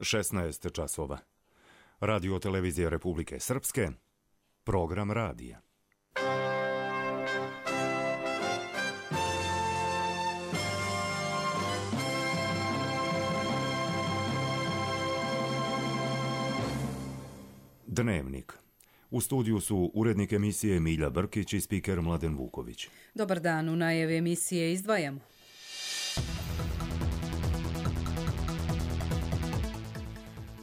16 časova. Radio televizije Republike Srpske, program radija. Dnevnik. U studiju su urednik emisije Milja Brkić i spiker Mladen Vuković. Dobar dan, u najavi emisije izdvajamo.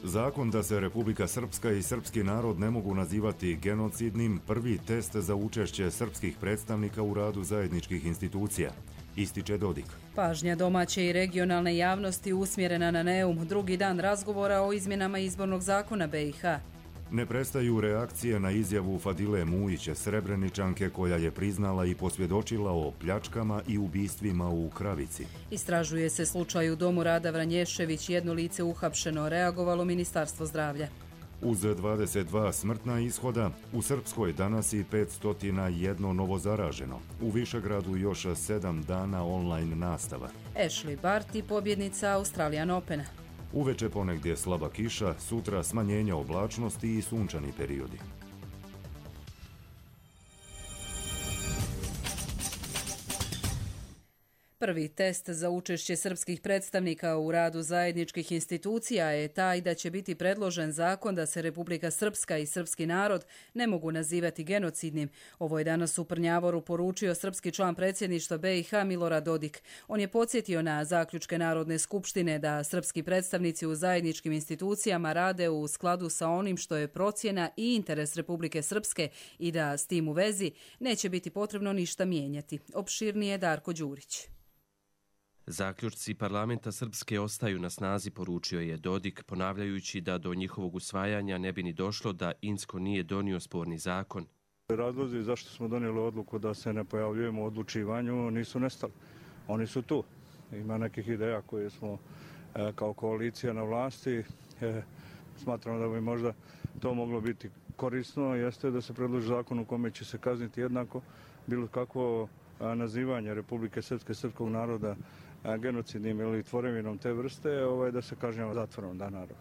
Zakon da se Republika Srpska i srpski narod ne mogu nazivati genocidnim, prvi test za učešće srpskih predstavnika u radu zajedničkih institucija, ističe Dodik. Pažnja domaće i regionalne javnosti usmjerena na Neum, drugi dan razgovora o izmjenama izbornog zakona BiH. Ne prestaju reakcije na izjavu Fadile Mujića, Srebreničanke, koja je priznala i posvjedočila o pljačkama i ubistvima u Kravici. Istražuje se slučaj u domu Rada Vranješević, jedno lice uhapšeno, reagovalo Ministarstvo zdravlja. Uz 22 smrtna ishoda, u Srpskoj danas i 501 novozaraženo. U Višegradu još 7 dana online nastava. Ashley Barty, pobjednica Australian Opena. Uveče ponegdje slaba kiša, sutra smanjenja oblačnosti i sunčani periodi. Prvi test za učešće srpskih predstavnika u radu zajedničkih institucija je taj da će biti predložen zakon da se Republika Srpska i srpski narod ne mogu nazivati genocidnim. Ovo je danas u Prnjavoru poručio srpski član predsjedništva BiH Milorad Dodik. On je podsjetio na zaključke Narodne skupštine da srpski predstavnici u zajedničkim institucijama rade u skladu sa onim što je procjena i interes Republike Srpske i da s tim u vezi neće biti potrebno ništa mijenjati. Opširnije Darko Đurić. Zaključci parlamenta Srpske ostaju na snazi, poručio je Dodik, ponavljajući da do njihovog usvajanja ne bi ni došlo da Insko nije donio sporni zakon. Razlozi zašto smo donijeli odluku da se ne pojavljujemo u odlučivanju nisu nestali. Oni su tu. Ima nekih ideja koje smo kao koalicija na vlasti. Smatramo da bi možda to moglo biti korisno. Jeste da se predloži zakon u kome će se kazniti jednako bilo kakvo nazivanje Republike Srpske, srpskog naroda genocidnim ili tvorevinom te vrste, da se kažnjava zatvorom da narod.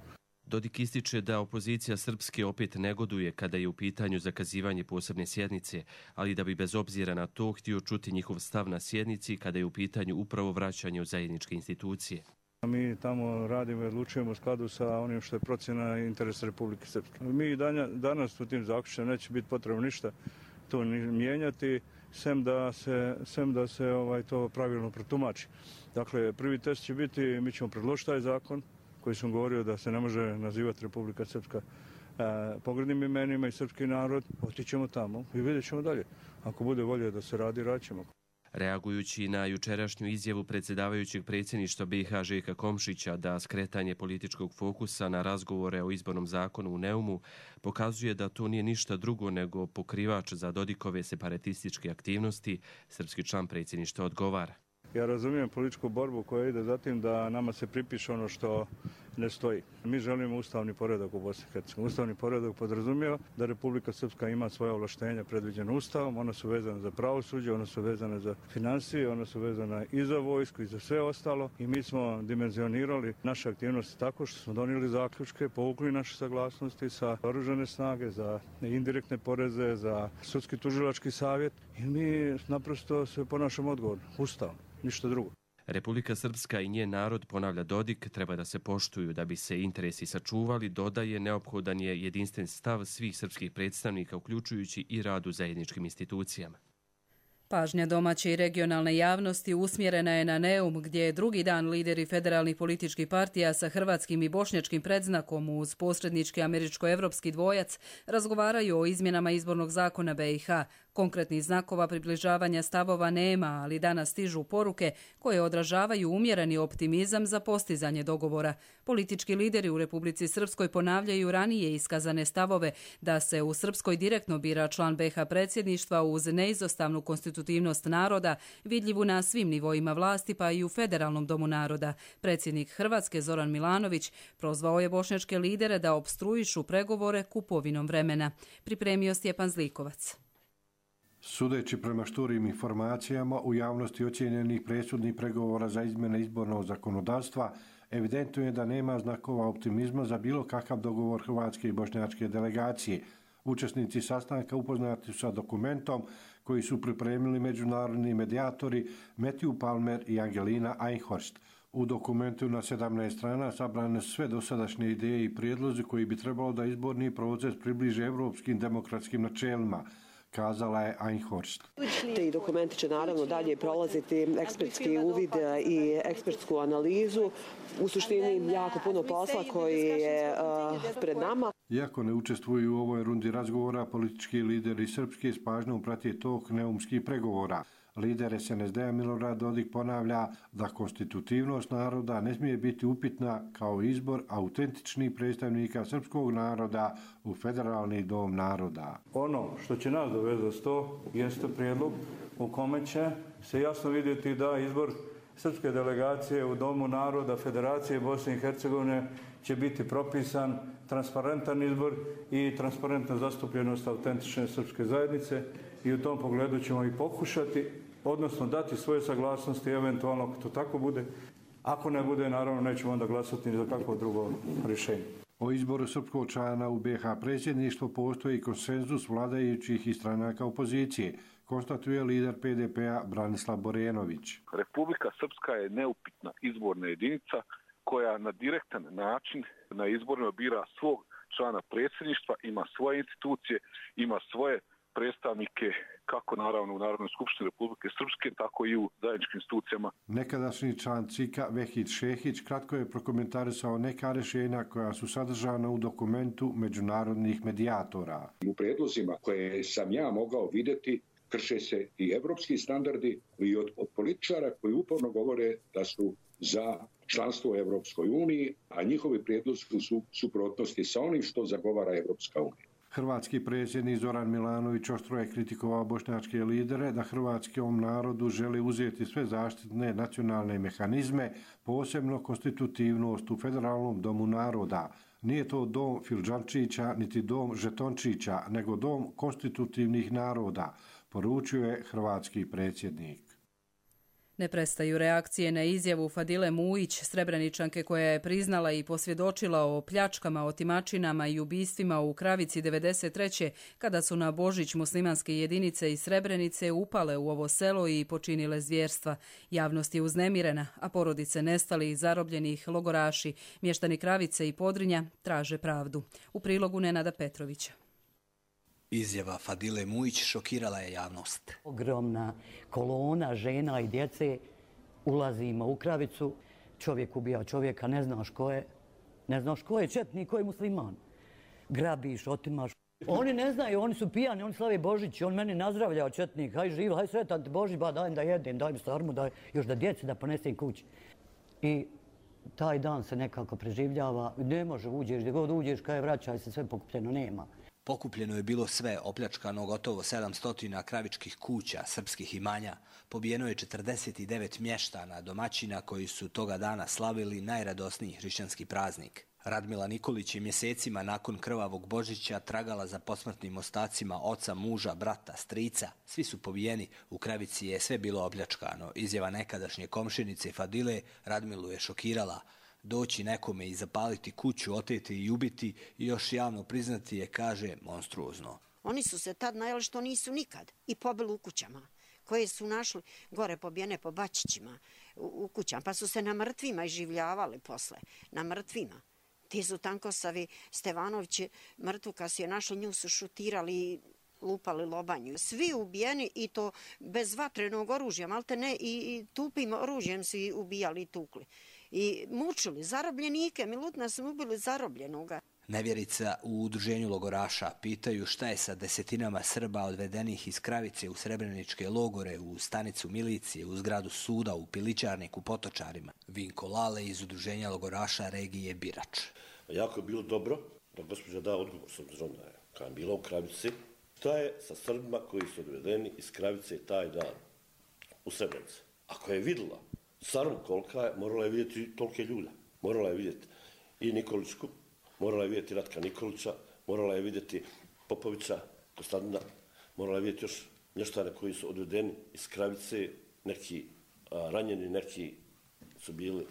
Dodik ističe da opozicija Srpske opet negoduje kada je u pitanju zakazivanje posebne sjednice, ali da bi bez obzira na to htio čuti njihov stav na sjednici kada je u pitanju upravo vraćanje u zajedničke institucije. Mi tamo radimo i odlučujemo u skladu sa onim što je procjena interesa Republike Srpske. Mi danas u tim zaključima neće biti potrebno ništa to mijenjati, sem da se to pravilno protumači. Dakle, prvi test će biti, mi ćemo predložiti taj zakon koji sam govorio da se ne može nazivati Republika Srpska pogrdnim imenima i srpski narod. Otićemo tamo i vidjet ćemo dalje. Ako bude volje da se radi, radit. Reagujući na jučerašnju izjavu predsjedavajućeg predsjedništva BiH Željka Komšića da skretanje političkog fokusa na razgovore o izbornom zakonu u Neumu pokazuje da to nije ništa drugo nego pokrivač za Dodikove separatističke aktivnosti, srpski član predsjedništva odgovara. Ja razumijem političku borbu koja ide za tim da nama se pripiše ono što ne stoji. Mi želimo ustavni poredak u Bosni i Hercegovini. Ustavni poredak podrazumijeva da Republika Srpska ima svoja ovlaštenja predviđena Ustavom, ona su vezane za pravosuđe, ona su vezane za financije, ona su vezane i za vojsku i za sve ostalo i mi smo dimenzionirali naše aktivnosti tako što smo donijeli zaključke, povukli naše saglasnosti sa oružane snage, za indirektne poreze, za sudski tužilački savjet i mi naprosto se ponašamo odgovorno, ustavno. Ništa drugo. Republika Srpska i njen narod, ponavlja Dodik, treba da se poštuju da bi se interesi sačuvali, dodaje neophodan je jedinstven stav svih srpskih predstavnika, uključujući i rad u zajedničkim institucijama. Pažnja domaće i regionalne javnosti usmjerena je na Neum, gdje je drugi dan lideri federalnih političkih partija sa hrvatskim i bošnjačkim predznakom uz posrednički američko-evropski dvojac razgovaraju o izmjenama izbornog zakona BiH. Konkretnih znakova približavanja stavova nema, ali danas stižu poruke koje odražavaju umjereni optimizam za postizanje dogovora. Politički lideri u Republici Srpskoj ponavljaju ranije iskazane stavove da se u Srpskoj direktno bira član BiH predsjedništva uz neizostavnu konstitutivnost naroda, vidljivu na svim nivoima vlasti pa i u Federalnom domu naroda. Predsjednik Hrvatske Zoran Milanović prozvao je bošnjačke lidere da opstruišu pregovore kupovinom vremena. Pripremio Stjepan Zlikovac. Sudeći prema šturim informacijama u javnosti ocijenjenih presudnih pregovora za izmjene izbornog zakonodavstva, evidentno je da nema znakova optimizma za bilo kakav dogovor hrvatske i bošnjačke delegacije. Učesnici sastanka upoznati su sa dokumentom koji su pripremili međunarodni medijatori Matthew Palmer i Angelina Einhorst. U dokumentu na 17 strana sabrane su sve dosadašnje ideje i prijedlozi koji bi trebalo da izborni proces približe evropskim demokratskim načelima, kazala je Einhorst. Ti dokumenti će naravno dalje prolaziti ekspertski uvid i ekspertsku analizu. U suštini jako puno posla koji je pred nama. Iako ne učestvuju u ovoj rundi razgovora, politički lideri Srpske s pažnjom prate tok neumskih pregovora. Lider SNSD-a Milorad Dodik ponavlja da konstitutivnost naroda ne smije biti upitna kao izbor autentičnih predstavnika srpskog naroda u Federalni dom naroda. Ono što će nas dovezati to jeste prijedlog u kome će se jasno vidjeti da izbor srpske delegacije u Domu naroda Federacije Bosne i Hercegovine će biti propisan transparentan izbor i transparentna zastupljenost autentične srpske zajednice i u tom pogledu ćemo i pokušati, odnosno dati svoje saglasnosti eventualno ako to tako bude. Ako ne bude, naravno nećemo onda glasati ni za kakvo drugo rješenje. O izboru srpskog člana u BiH predsjedništvo postoji konsenzus vladajućih i stranaka opozicije, konstatuje lider PDP-a Branislav Borenović. Republika Srpska je neupitna izborna jedinica koja na direktan način na izborima bira svog člana predsjedništva, ima svoje institucije, ima svoje predstavnike kako naravno u Narodnoj skupštini Republike Srpske, tako i u zajedničkim institucijama. Nekadašnji član CIK-a Vehid Šehić kratko je prokomentarisao neka rješenja koja su sadržana u dokumentu međunarodnih medijatora. U predlozima koje sam ja mogao vidjeti krše se i evropski standardi i od političara koji uporno govore da su za članstvo u Evropskoj uniji, a njihovi prijedlozi su suprotnosti sa onim što zagovara Evropska unija. Hrvatski predsjednik Zoran Milanović oštro je kritikovao bošnjačke lidere da hrvatskom narodu žele uzeti sve zaštitne nacionalne mehanizme, posebno konstitutivnost u Federalnom domu naroda. Nije to dom Filđančića niti dom Žetončića, nego dom konstitutivnih naroda, poručio je hrvatski predsjednik. Ne prestaju reakcije na izjavu Fadile Mujić, Srebreničanke koja je priznala i posvjedočila o pljačkama, otimačinama i ubistvima u Kravici 1993. kada su na Božić muslimanske jedinice iz Srebrenice upale u ovo selo i počinile zvjerstva. Javnost je uznemirena, a porodice nestalih i zarobljenih logoraši, mještani Kravice i Podrinja traže pravdu. U prilogu Nenada Petrovića. Izjava Fadile Mujić šokirala je javnost. Ogromna kolona žena i djece, ulazimo u Kravicu, čovjek ubija čovjeka, ne znaš ko je četnik, ko je musliman. Grabiš, otimaš. Oni ne znaju, oni su pijani, oni slave Božić, on meni nazdravljao četnik, haj živ, haj sretan ti Božić, ba daj da jedem, daj mi sarmu, daj još da djeci da ponesem kući. I taj dan se nekako preživljava, ne može uđeš, gdje god uđeš, kaj vraćaj se, sve pokupljeno, nema. Pokupljeno je bilo sve, opljačkano gotovo 700 kravičkih kuća, srpskih imanja. Pobijeno je 49 mještana, domaćina koji su toga dana slavili najradosniji hrišćanski praznik. Radmila Nikolić je mjesecima nakon krvavog Božića tragala za posmrtnim ostacima oca, muža, brata, strica. Svi su pobijeni, u Kravici je sve bilo opljačkano. Izjava nekadašnje komšinice Fadile Radmilu je šokirala. Doći nekome i zapaliti kuću, oteti i ubiti i još javno priznati je, kaže, monstruozno. Oni su se tad najeli što nisu nikad i pobili u kućama, koje su našli gore pobijene po bačićima u kućama, pa su se na mrtvima iživljavali posle, na mrtvima. Ti su Tankosavi, Stevanovići, mrtvu kad su je našli, nju su šutirali i lupali lobanju. Svi ubijeni i to bez vatrenog oružja, malte ne, i tupim oružjem su ubijali i tukli. I mučili zarobljenike, Milutna su ubili zarobljenoga. Nevjerica u udruženju logoraša pitaju šta je sa desetinama Srba odvedenih iz Kravice u srebreničke logore, u stanicu milicije, u zgradu suda, u Pilićarnik, u Potočarima. Vinko Lale iz udruženja logoraša regije Birač. Jako je bilo dobro da gospođa da odgovor s obzirom da je kada je bila u Kravici. Šta je sa Srbima koji su odvedeni iz Kravice taj dan u Srebrenici? Ako je vidjela sarmu kolika je, morala je vidjeti tolike ljude. Morala je vidjeti i Nikolićku, morala je vidjeti Ratka Nikolića, morala je vidjeti Popovića, Kostadina, morala je vidjeti još mještane koji su odvedeni iz Kravice, neki ranjeni, neki su bili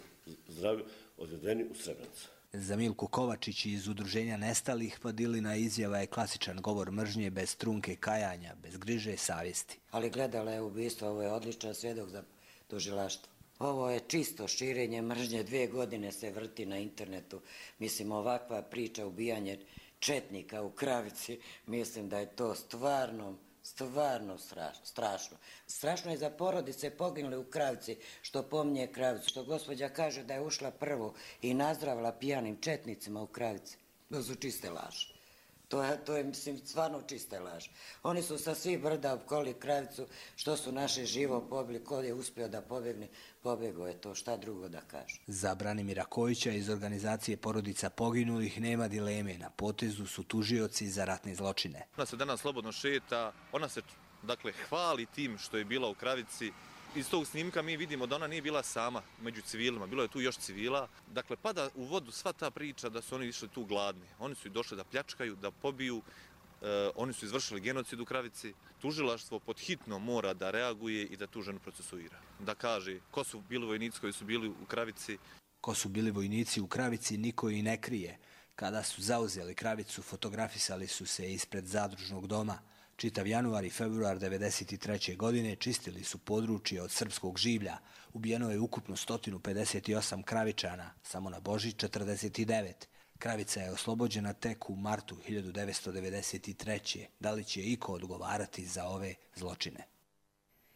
zdravi, odvedeni u Srebrenicu. Za Milku Kovačić iz Udruženja nestalih Padilina izjava je klasičan govor mržnje bez trunke kajanja, bez griže savjesti. Ali gledala je ubistvo, ovo je odličan svjedok za tužilaštvo. Ovo je čisto širenje mržnje, 2 godine se vrti na internetu. Mislim, ovakva priča, ubijanje četnika u Kravici, mislim da je to stvarno strašno. Strašno je za porodice poginuli u Kravici, što pominje Kravicu, što gospođa kaže da je ušla prvo i nazdravila pijanim četnicima u Kravici. To su čiste laži. To je, mislim, stvarno čiste laži. Oni su sa svih brda opkoli Kravicu, što su naše živo pobili, ko je uspio da pobjegne, pobjegao je to, šta drugo da kaže. Za Branimira Kojića iz organizacije porodica poginulih nema dileme, na potezu su tužioci za ratne zločine. Ona se danas slobodno šeta, ona se hvali tim što je bila u Kravici. Iz tog snimka mi vidimo da ona nije bila sama među civilima, bilo je tu još civila. Dakle, pada u vodu sva ta priča da su oni išli tu gladni. Oni su i došli da pljačkaju, da pobiju, oni su izvršili genocid u Kravici. Tužilaštvo pod hitno mora da reaguje i da tu ženu procesuira. Da kaže ko su bili vojnici koji su bili u Kravici. Ko su bili vojnici u Kravici niko i ne krije. Kada su zauzeli Kravicu, fotografisali su se ispred zadružnog doma. Čitav januar i februar 1993. godine čistili su područje od srpskog življa. Ubijeno je ukupno 158 Kravičana, samo na Božić 49. Kravica je oslobođena tek u martu 1993. Da li će iko odgovarati za ove zločine?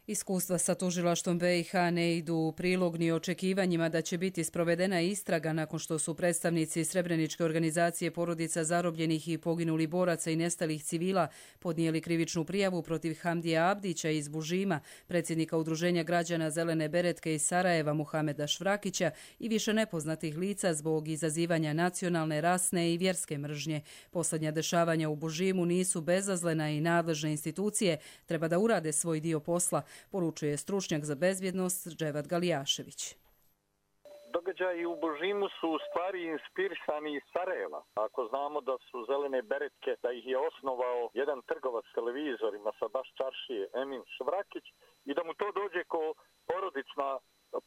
Iskustva sa tužilaštvom BiH ne idu u prilog ni očekivanjima da će biti sprovedena istraga nakon što su predstavnici Srebreničke organizacije porodica zarobljenih i poginulih boraca i nestalih civila podnijeli krivičnu prijavu protiv Hamdija Abdića iz Bužima, predsjednika Udruženja građana Zelene beretke iz Sarajeva Muhameda Švrakića i više nepoznatih lica zbog izazivanja nacionalne, rasne i vjerske mržnje. Posljednja dešavanja u Bužimu nisu bezazlena i nadležne institucije treba da urade svoj dio posla, poručuje stručnjak za bezbjednost Dževad Galijašević. Događaji u Bužimu su u stvari inspirisani iz Sarajeva. Ako znamo da su Zelene beretke, da ih je osnovao jedan trgovac televizorima sa baš čaršije, Emin Švrakić, i da mu to dođe ko porodična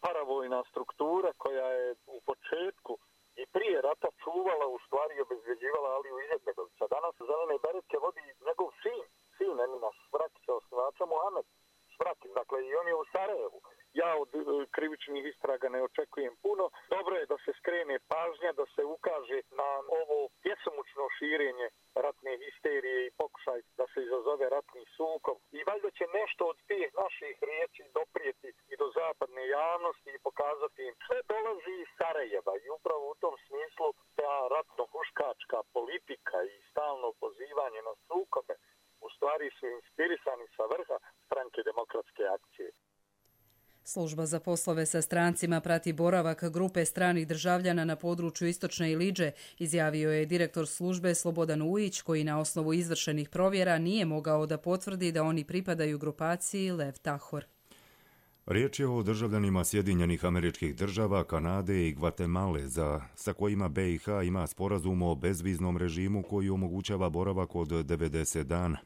paravojna struktura koja je u početku i prije rata čuvala, u stvari obezbeđivala Aliju Izetbegovića. Danas Zelene beretke vodi njegov sin Emina Švrakića, osnivača Muhamed Švrakić, dakle i on je u Sarajevu. Ja od krivičnih istraga ne očekujem puno. Dobro je da se skrene pažnja, da se ukaže na ovo bjesomučno širenje ratne histerije i pokušaj da se izazove ratni sukob. I valjda će nešto od tih naših riječi doprijeti i do zapadne javnosti i pokazati im sve dolazi iz Sarajeva. I upravo u tom smislu ta ratno-huškačka politika i stalno pozivanje na sukobe u stvari su inspirisani sa vrha Stranke demokratske akcije. Služba za poslove sa strancima prati boravak grupe stranih državljana na području Istočne Ilidže, izjavio je direktor službe Slobodan Ujić, koji na osnovu izvršenih provjera nije mogao da potvrdi da oni pripadaju grupaciji Lev Tahor. Riječ je o državljanima Sjedinjenih Američkih Država, Kanade i Gvatemale, sa kojima BiH ima sporazum o bezviznom režimu koji omogućava boravak od 90 dana.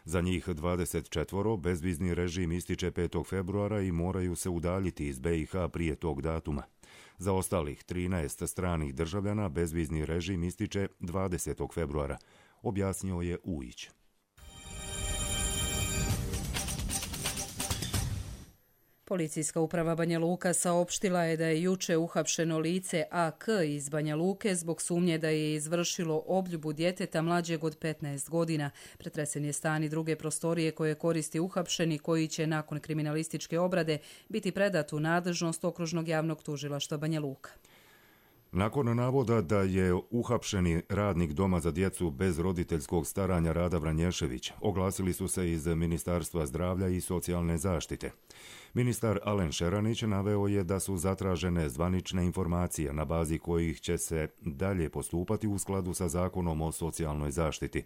Za njih 24 bezvizni režim ističe 5. februara i moraju se udaljiti iz BiH prije tog datuma. Za ostalih 13 stranih državljana bezvizni režim ističe 20. februara, objasnio je Ujić. Policijska uprava Banja Luka saopštila je da je juče uhapšeno lice AK iz Banja Luke zbog sumnje da je izvršilo obljubu djeteta mlađeg od 15 godina. Pretresen je stan i druge prostorije koje koristi uhapšeni, koji će nakon kriminalističke obrade biti predat u nadležnost Okružnog javnog tužilaštva Banja Luka. Nakon navoda da je uhapšeni radnik Doma za djecu bez roditeljskog staranja Rada Vranješević, oglasili su se iz Ministarstva zdravlja i socijalne zaštite. Ministar Alen Šeranić naveo je da su zatražene zvanične informacije na bazi kojih će se dalje postupati u skladu sa Zakonom o socijalnoj zaštiti.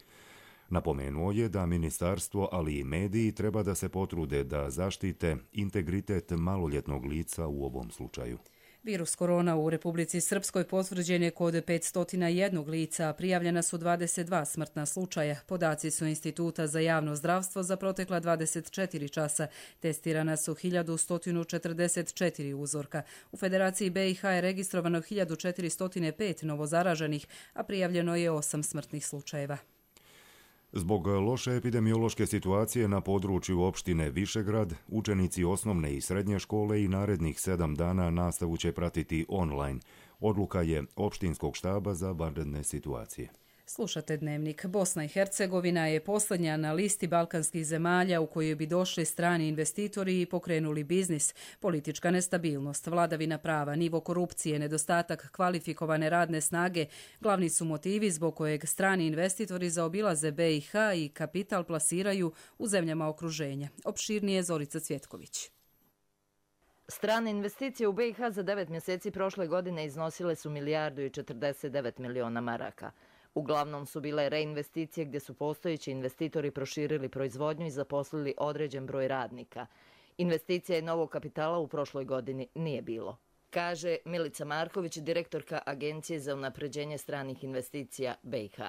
Napomenuo je da ministarstvo, ali i mediji treba da se potrude da zaštite integritet maloljetnog lica u ovom slučaju. Virus korona u Republici Srpskoj potvrđen je kod 501 lica, a prijavljena su 22 smrtna slučaja. Podaci su Instituta za javno zdravstvo za protekla 24 časa. Testirana su 1144 uzorka. U Federaciji BiH je registrovano 1405 novozaraženih, a prijavljeno je 8 smrtnih slučajeva. Zbog loše epidemiološke situacije na području opštine Višegrad, učenici osnovne i srednje škole i narednih 7 dana nastavu će pratiti online. Odluka je opštinskog štaba za vanredne situacije. Slušate Dnevnik. Bosna i Hercegovina je posljednja na listi balkanskih zemalja u kojoj bi došli strani investitori i pokrenuli biznis. Politička nestabilnost, vladavina prava, nivo korupcije, nedostatak kvalifikovane radne snage glavni su motivi zbog kojeg strani investitori zaobilaze BiH i kapital plasiraju u zemljama okruženja. Opširnije Zorica Cvjetković. Strane investicije u BiH za 9 mjeseci prošle godine iznosile su 1,49 milijardi maraka. Uglavnom su bile reinvesticije gdje su postojeći investitori proširili proizvodnju i zaposlili određen broj radnika. Investicija i novog kapitala u prošloj godini nije bilo, kaže Milica Marković, direktorka Agencije za unapređenje stranih investicija BiH.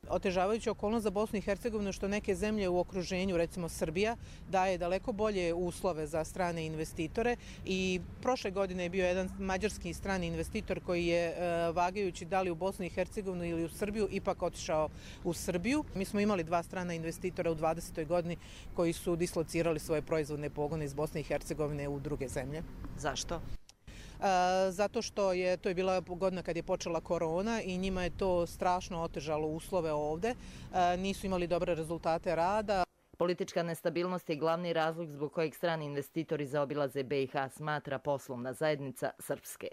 Otežavajuća okolnost za Bosnu i Hercegovinu što neke zemlje u okruženju, recimo Srbija, daje daleko bolje uslove za strane investitore i prošle godine je bio jedan mađarski strani investitor koji je, vagajući da li u Bosnu i Hercegovinu ili u Srbiju, ipak otišao u Srbiju. Mi smo imali 2 strana investitora u 20. godini koji su dislocirali svoje proizvodne pogone iz Bosne i Hercegovine u druge zemlje. Zašto? Zato što to je bila godina kad je počela korona i njima je to strašno otežalo uslove ovde. Nisu imali dobre rezultate rada. Politička nestabilnost je glavni razlog zbog kojeg strani investitori zaobilaze BiH, smatra poslovna zajednica Srpske.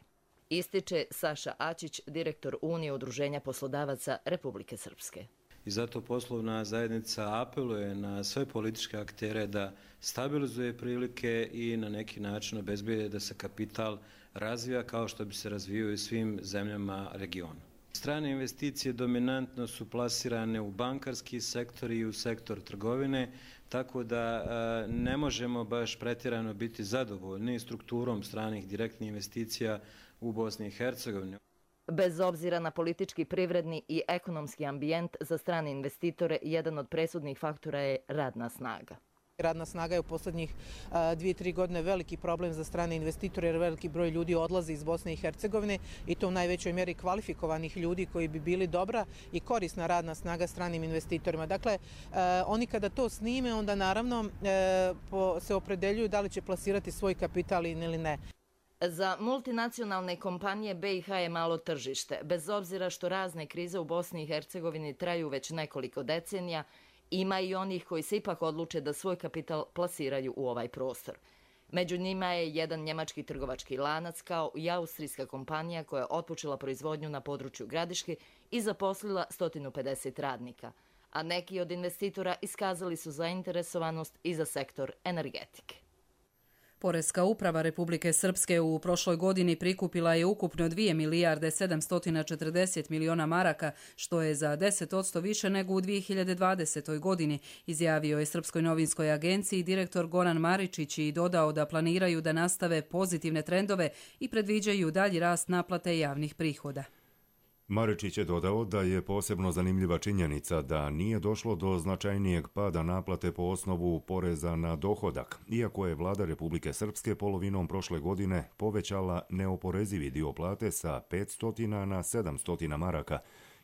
Ističe Saša Ačić, direktor Unije udruženja poslodavaca Republike Srpske. I zato poslovna zajednica apeluje na sve političke aktere da stabilizuje prilike i na neki način obezbijede da se kapital razvija kao što bi se razvijao i svim zemljama regiona. Strane investicije dominantno su plasirane u bankarski sektor i u sektor trgovine, tako da ne možemo baš pretjerano biti zadovoljni strukturom stranih direktnih investicija u Bosni i Hercegovini. Bez obzira na politički, privredni i ekonomski ambijent, za strane investitore jedan od presudnih faktora je radna snaga. Radna snaga je u posljednjih 2-3 godine veliki problem za strane investitore jer veliki broj ljudi odlazi iz Bosne i Hercegovine i to u najvećoj mjeri kvalifikovanih ljudi koji bi bili dobra i korisna radna snaga stranim investitorima. Dakle, oni kada to snime, onda naravno se opredeljuju da li će plasirati svoj kapital ili ne. Za multinacionalne kompanije BiH je malo tržište. Bez obzira što razne krize u Bosni i Hercegovini traju već nekoliko decenija, ima i onih koji se ipak odluče da svoj kapital plasiraju u ovaj prostor. Među njima je jedan njemački trgovački lanac kao i austrijska kompanija koja je otpočela proizvodnju na području Gradiške i zaposlila 150 radnika, a neki od investitora iskazali su zainteresovanost i za sektor energetike. Poreska uprava Republike Srpske u prošloj godini prikupila je ukupno 2 milijarde 740 miliona maraka, što je za 10% više nego u 2020. godini, izjavio je Srpskoj novinskoj agenciji direktor Goran Maričić i dodao da planiraju da nastave pozitivne trendove i predviđaju dalji rast naplate javnih prihoda. Maričić je dodao da je posebno zanimljiva činjenica da nije došlo do značajnijeg pada naplate po osnovu poreza na dohodak, iako je vlada Republike Srpske polovinom prošle godine povećala neoporezivi dio plate sa 500 na 700 maraka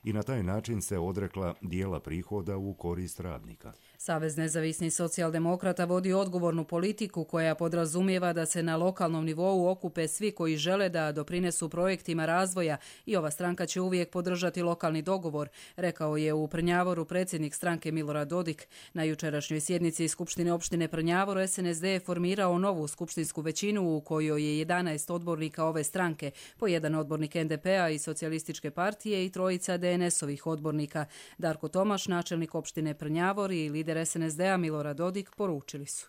i na taj način se odrekla dijela prihoda u korist radnika. Savez nezavisnih socijaldemokrata vodi odgovornu politiku koja podrazumijeva da se na lokalnom nivou okupe svi koji žele da doprinesu projektima razvoja i ova stranka će uvijek podržati lokalni dogovor, rekao je u Prnjavoru predsjednik stranke Milorad Dodik. Na jučerašnjoj sjednici Skupštine opštine Prnjavor SNSD je formirao novu skupštinsku većinu u kojoj je 11 odbornika ove stranke, po jedan odbornik NDP-a i Socijalističke partije i trojica DNS-ovih odbornika. Darko Tomaš, načelnik opštine Prnjavor i lider SNSD-a Milorad Dodik poručili su.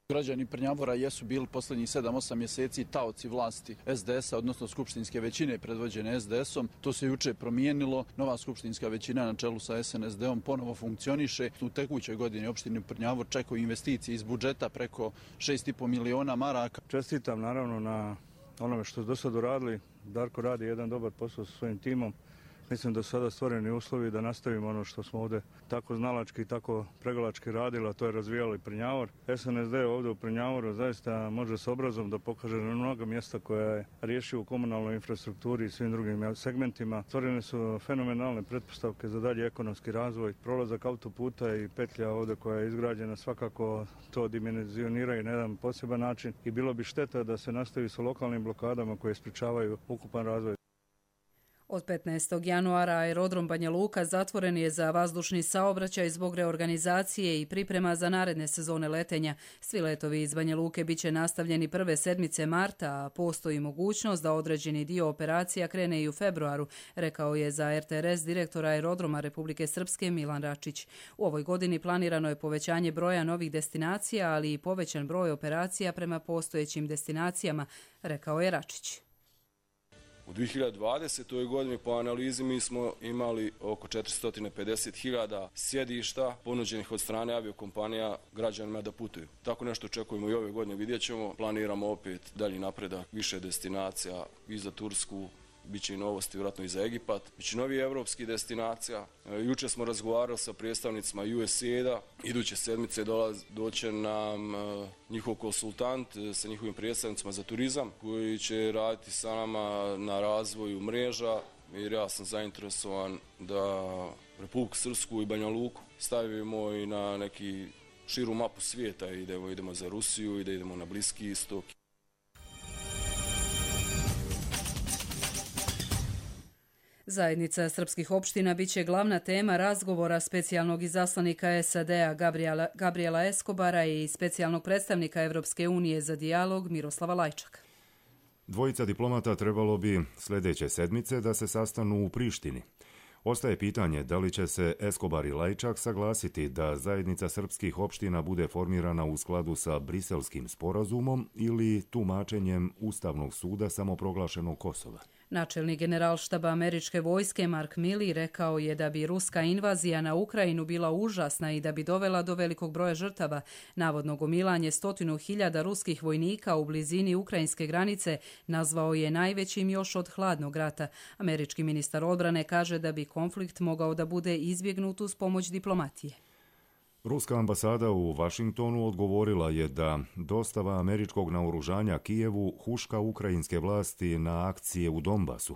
Građani Prnjavora jesu bili posljednjih 7-8 mjeseci taoci vlasti SDS-a, odnosno skupštinske većine predvođene SDS-om. To se juče promijenilo. Nova skupštinska većina na čelu sa SNSD-om ponovo funkcioniše. U tekućoj godini opštini Prnjavor čekaju investicije iz budžeta preko 6,5 miliona maraka. Čestitam naravno na onome što su do sada uradili. Darko radi jedan dobar posao sa svojim timom. Mislim da su sada stvoreni uslovi da nastavimo ono što smo ovdje tako znalački i tako pregalački radili, a to je razvijali Prnjavor. SNSD ovdje u Prnjavoru zaista može s obrazom da pokaže na mnoga mjesta koja je riješio u komunalnoj infrastrukturi i svim drugim segmentima. Stvorene su fenomenalne pretpostavke za dalji ekonomski razvoj. Prolazak autoputa i petlja ovdje koja je izgrađena svakako to dimenzioniraju na jedan poseban način i bilo bi šteta da se nastavi sa lokalnim blokadama koje sprečavaju ukupan razvoj. Od 15. januara aerodrom Banja Luka zatvoren je za vazdušni saobraćaj zbog reorganizacije i priprema za naredne sezone letenja. Svi letovi iz Banja Luke bit će nastavljeni prve sedmice marta, a postoji mogućnost da određeni dio operacija krene i u februaru, rekao je za RTRS direktor aerodroma Republike Srpske Milan Račić. U ovoj godini planirano je povećanje broja novih destinacija, ali i povećan broj operacija prema postojećim destinacijama, rekao je Račić. U 2020. godini po analizi mi smo imali oko 450.000 sjedišta ponuđenih od strane aviokompanija građanima da putuju. Tako nešto očekujemo i ove godine, vidjet ćemo. Planiramo opet dalji napredak, više destinacija i za Tursku, biće i novosti vjerojatno i za Egipat, biće novi evropskih destinacija. Juče smo razgovarali sa predstavnicima USAID-a, iduće sedmice doće nam njihov konsultant sa njihovim predstavnicima za turizam koji će raditi sa nama na razvoju mreža, jer ja sam zainteresovan da Republiku Srpsku i Banja Luku stavimo i na neki širu mapu svijeta, idemo za Rusiju i da idemo na Bliski istok. Zajednica srpskih opština biće glavna tema razgovora specijalnog izaslanika SAD-a Gabriela Escobara i specijalnog predstavnika Evropske unije za dijalog Miroslava Lajčaka. Dvojica diplomata trebalo bi sljedeće sedmice da se sastanu u Prištini. Ostaje pitanje da li će se Escobar i Lajčak saglasiti da zajednica srpskih opština bude formirana u skladu sa Briselskim sporazumom ili tumačenjem Ustavnog suda samoproglašenog Kosova. Načelnik generalštaba američke vojske Mark Milley rekao je da bi ruska invazija na Ukrajinu bila užasna i da bi dovela do velikog broja žrtava. Navodno gomilanje 100.000 ruskih vojnika u blizini ukrajinske granice nazvao je najvećim još od hladnog rata. Američki ministar odbrane kaže da bi konflikt mogao da bude izbjegnut uz pomoć diplomatije. Ruska ambasada u Vašingtonu odgovorila je da dostava američkog naoružanja Kijevu huška ukrajinske vlasti na akcije u Donbasu.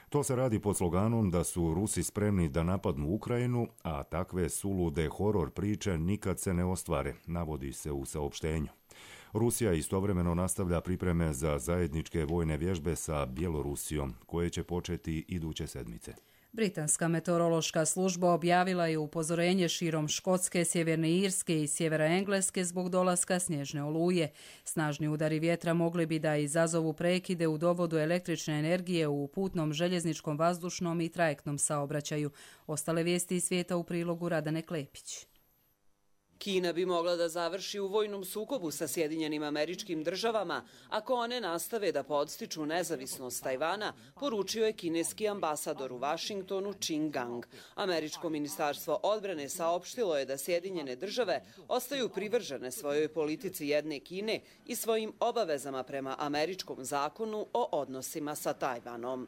To se radi pod sloganom da su Rusi spremni da napadnu Ukrajinu, a takve sulude horor priče nikad se ne ostvare, navodi se u saopštenju. Rusija istovremeno nastavlja pripreme za zajedničke vojne vježbe sa Bjelorusijom, koje će početi iduće sedmice. Britanska meteorološka služba objavila je upozorenje širom Škotske, Sjeverne Irske i sjevera Engleske zbog dolaska snježne oluje. Snažni udari vjetra mogli bi da izazovu prekide u dovodu električne energije u putnom, željezničkom, vazdušnom i trajektnom saobraćaju. Ostale vijesti iz svijeta u prilogu Radane Klepić. Kina bi mogla da završi u vojnom sukobu sa Sjedinjenim Američkim Državama ako one nastave da podstiču nezavisnost Tajvana, poručio je kineski ambasador u Vašingtonu Qin Gang. Američko ministarstvo odbrane saopštilo je da Sjedinjene Države ostaju privržene svojoj politici jedne Kine i svojim obavezama prema američkom zakonu o odnosima sa Tajvanom.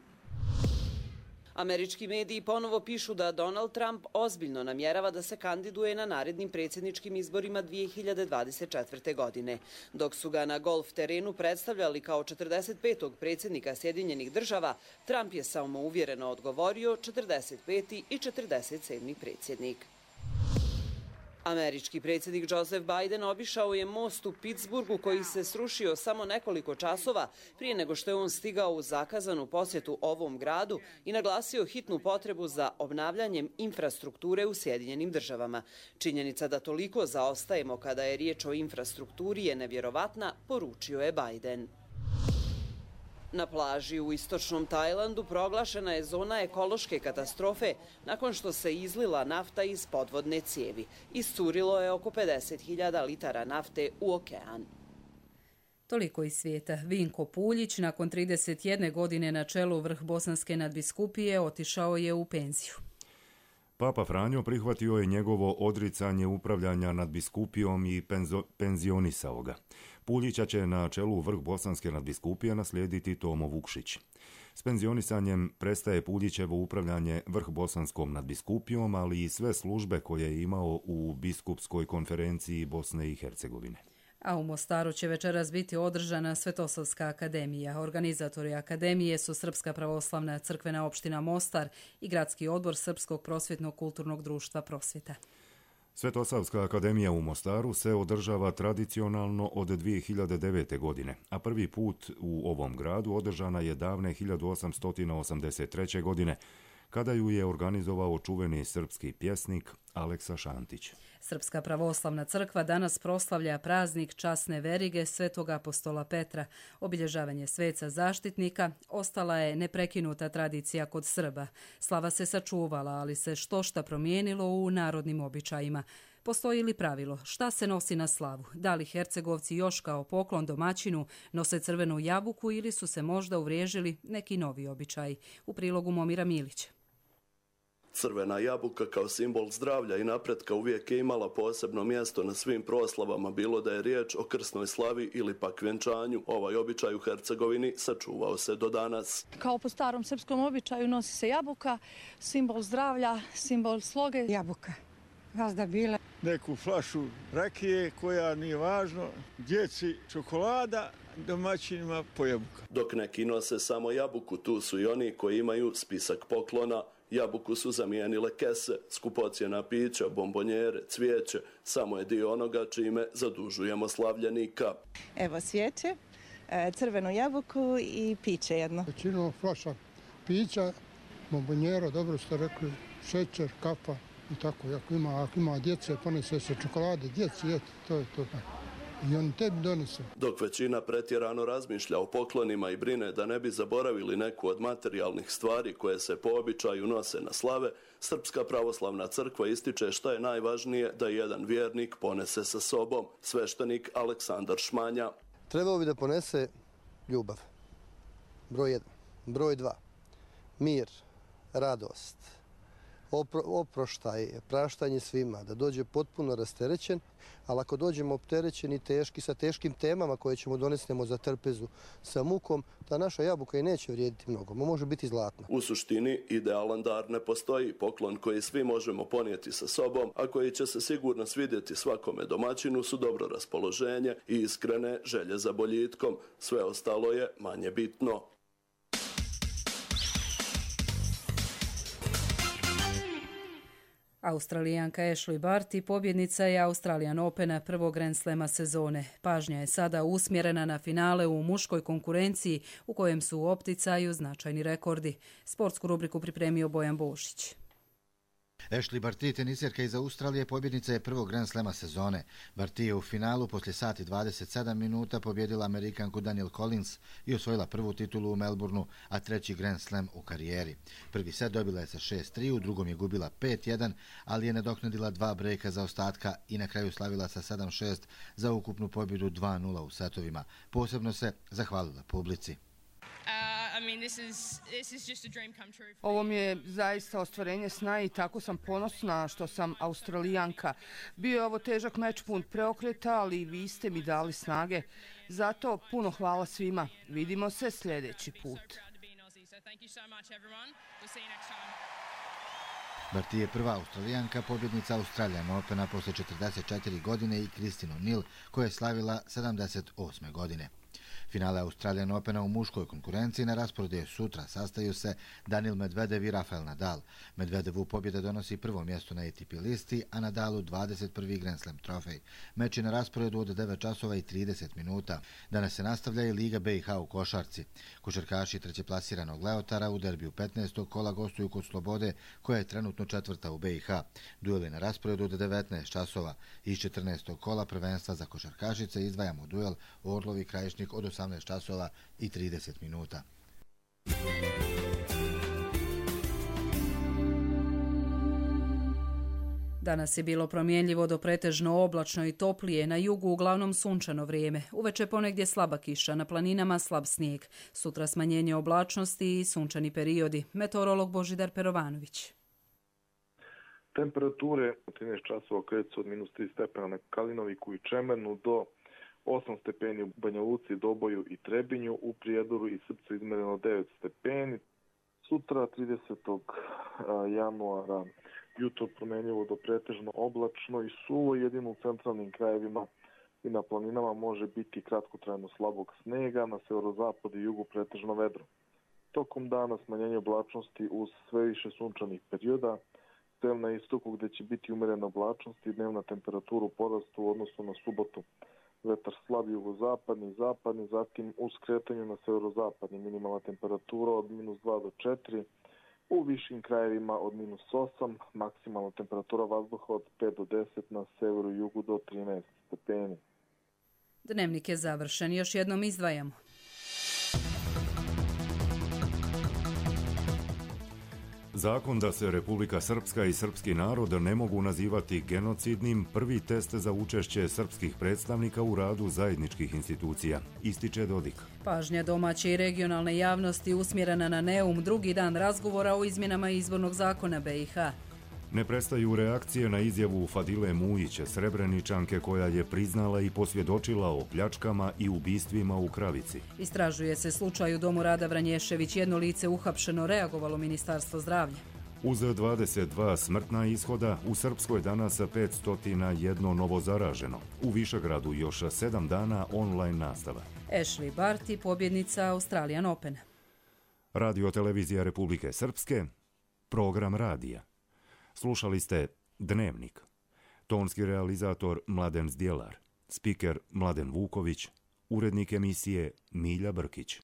Američki mediji ponovo pišu da Donald Trump ozbiljno namjerava da se kandiduje na narednim predsjedničkim izborima 2024. godine. Dok su ga na golf terenu predstavljali kao 45. predsjednika Sjedinjenih Država, Trump je samouvjereno odgovorio 45. i 47. predsjednik. Američki predsjednik Joseph Biden obišao je most u Pittsburghu koji se srušio samo nekoliko časova prije nego što je on stigao u zakazanu posjetu ovom gradu i naglasio hitnu potrebu za obnavljanjem infrastrukture u Sjedinjenim Državama. Činjenica da toliko zaostajemo kada je riječ o infrastrukturi je nevjerovatna, poručio je Biden. Na plaži u istočnom Tajlandu proglašena je zona ekološke katastrofe nakon što se izlila nafta iz podvodne cijevi. Iscurilo je oko 50.000 litara nafte u okean. Toliko iz svijeta. Vinko Puljić, nakon 31 godine na čelu vrh Bosanske nadbiskupije, otišao je u penziju. Papa Franjo prihvatio je njegovo odricanje upravljanja nadbiskupijom i penzionisao ga. Puljića će na čelu vrh Bosanske nadbiskupije naslijediti Tomo Vukšić. S penzionisanjem prestaje Puljićevo upravljanje vrh Bosanskom nadbiskupijom, ali i sve službe koje je imao u biskupskoj konferenciji Bosne i Hercegovine. A u Mostaru će večeras biti održana Svetosavska akademija. Organizatori akademije su Srpska pravoslavna crkvena opština Mostar i Gradski odbor Srpskog prosvjetnog kulturnog društva Prosvjeta. Svetosavska akademija u Mostaru se održava tradicionalno od 2009. godine, a prvi put u ovom gradu održana je davne 1883. godine, kada ju je organizovao čuveni srpski pjesnik Aleksa Šantić. Srpska pravoslavna crkva danas proslavlja praznik časne verige Svetog apostola Petra. Obilježavanje sveca zaštitnika ostala je neprekinuta tradicija kod Srba. Slava se sačuvala, ali se štošta promijenilo u narodnim običajima. Postoji li pravilo šta se nosi na slavu? Da li Hercegovci još kao poklon domaćinu nose crvenu jabuku ili su se možda uvriježili neki novi običaji? U prilogu Momira Milića. Crvena jabuka kao simbol zdravlja i napretka uvijek je imala posebno mjesto na svim proslavama, bilo da je riječ o krsnoj slavi ili pak vjenčanju. Ovaj običaj u Hercegovini sačuvao se do danas. Kao po starom srpskom običaju nosi se jabuka, simbol zdravlja, simbol sloge. Jabuka, vazda bile. Neku flašu rakije koja nije važno, djeci čokolada, domaćinima po jabuka. Dok neki nose samo jabuku, tu su i oni koji imaju spisak poklona. Jabuku su zamijenile kese, skupocjena pića, bombonjere, cvijeće. Samo je dio onoga čime zadužujemo slavljenika. Evo svijeće, crvenu jabuku i piće jedno. Većinu flaša pića, bombonjera, dobro ste rekli, šećer, kafa i tako. Ako ima djece, ponese se čokolade, djeci, to je to. I oni tebi donese. Dok većina pretjerano razmišlja o poklonima i brine da ne bi zaboravili neku od materijalnih stvari koje se po običaju nose na slave, Srpska pravoslavna crkva ističe šta je najvažnije da jedan vjernik ponese sa sobom. Sveštenik Aleksandar Šmanja. Trebao bi da ponese ljubav. Broj 1. Broj 2. Mir, radost, oproštaj, praštanje svima, da dođe potpuno rasterećen, ali ako dođemo opterećeni teški, sa teškim temama koje ćemo donesnemo za trpezu sa mukom, ta naša jabuka i neće vrijediti mnogo, može biti zlatna. U suštini, idealan dar ne postoji. Poklon koji svi možemo ponijeti sa sobom, a koji će se sigurno svidjeti svakome domaćinu, su dobro raspoloženje i iskrene želje za boljitkom. Sve ostalo je manje bitno. Australijanka Ashley Barty pobjednica je Australian Opena prvog Grand Slema sezone. Pažnja je sada usmjerena na finale u muškoj konkurenciji u kojem su u opticaju značajni rekordi. Sportsku rubriku pripremio Bojan Bošić. Ashley Barty, tenisjerka iz Australije, pobjednica je prvog Grand Slema sezone. Barty je u finalu poslije sat i 27 minuta pobjedila Amerikanku Danielle Collins i osvojila prvu titulu u Melbourneu, a treći Grand Slam u karijeri. Prvi set dobila je sa 6-3, u drugom je gubila 5-1, ali je nadoknadila 2 brejka za ostatka i na kraju slavila sa 7-6 za ukupnu pobjedu 2-0 u setovima. Posebno se zahvalila publici. Ovo mi je zaista ostvarenje sna i tako sam ponosna što sam Australijanka. Bio je ovo težak meč pun preokreta, ali vi ste mi dali snage. Zato puno hvala svima. Vidimo se sljedeći put. Barty je prva Australijanka, pobjednica Australian Opena posle 44 godine i Kristinu Nil, koja je slavila 78. godine. Finale Australian Opena u muškoj konkurenciji na rasporedu je sutra. Sastaju se Daniil Medvedev i Rafael Nadal. Medvedevu pobjeda donosi prvo mjesto na ATP listi, a Nadalu 21. Grand Slam trofej. Meč je na rasporedu od 9 časova i 30 minuta. Danas se nastavlja i Liga BiH u košarci. Košarkaši trećeplasiranog Leotara u derbiju 15. kola gostuju kod Slobode, koja je trenutno četvrta u BiH. Duel je na rasporedu od 19 časova. Iz 14. kola prvenstva za košarkašice izdvajamo duel Orlovi Krajišnik od 18 časova i 30 minuta. Danas je bilo promjenljivo do pretežno oblačno i toplije, na jugu uglavnom sunčano vrijeme. Uveče ponegdje slaba kiša, na planinama slab snijeg. Sutra smanjenje oblačnosti i sunčani periodi. Meteorolog Božidar Perovanović. Temperature od 13 časova kreću se od -3 stepena na Kalinoviku i Čemernu do 8 stepeni u Banja Luci, Doboju i Trebinju, u Prijedoru i Srpcu izmereno 9 stepeni. Sutra 30. januara jutro promenljivo do pretežno oblačno i suvo, jedino u centralnim krajevima i na planinama može biti kratkotrajno slabog snega, na severozapadu i jugu pretežno vedro. Tokom dana smanjenje oblačnosti uz sve više sunčanih perioda, sem na istoku gde će biti umerena oblačnost i dnevna temperatura u porastu u odnosu na subotu. Vetar slab jugozapadni, zapadni, zatim u skretanju na severozapadni minimalna temperatura od -2 do 4, u višim krajevima od -8, maksimalna temperatura vazduha od 5 do 10, na severu i jugu do 13 stepeni. Dnevnik je završen, još jednom izdvajamo. Zakon da se Republika Srpska i srpski narod ne mogu nazivati genocidnim, prvi test za učešće srpskih predstavnika u radu zajedničkih institucija, ističe Dodik. Pažnja domaće i regionalne javnosti usmjerena na Neum, drugi dan razgovora o izmjenama izbornog zakona BiH. Ne prestaju reakcije na izjavu Fadile Mujić, Srebreničanke koja je priznala i posvjedočila o pljačkama i ubistvima u Kravici. Istražuje se slučaj u domu Rada Vranješević, jedno lice uhapšeno, reagovalo Ministarstvo zdravlja. Uz 22 smrtna ishoda, u Srpskoj danas 501 novo zaraženo. U Višegradu još 7 dana online nastava. Ashley Barty, pobjednica Australian Opena. Radio televizija Republike Srpske, program radija. Slušali ste Dnevnik. Tonski realizator Mladen Zdjelar, spiker Mladen Vuković, urednik emisije Milja Brkić.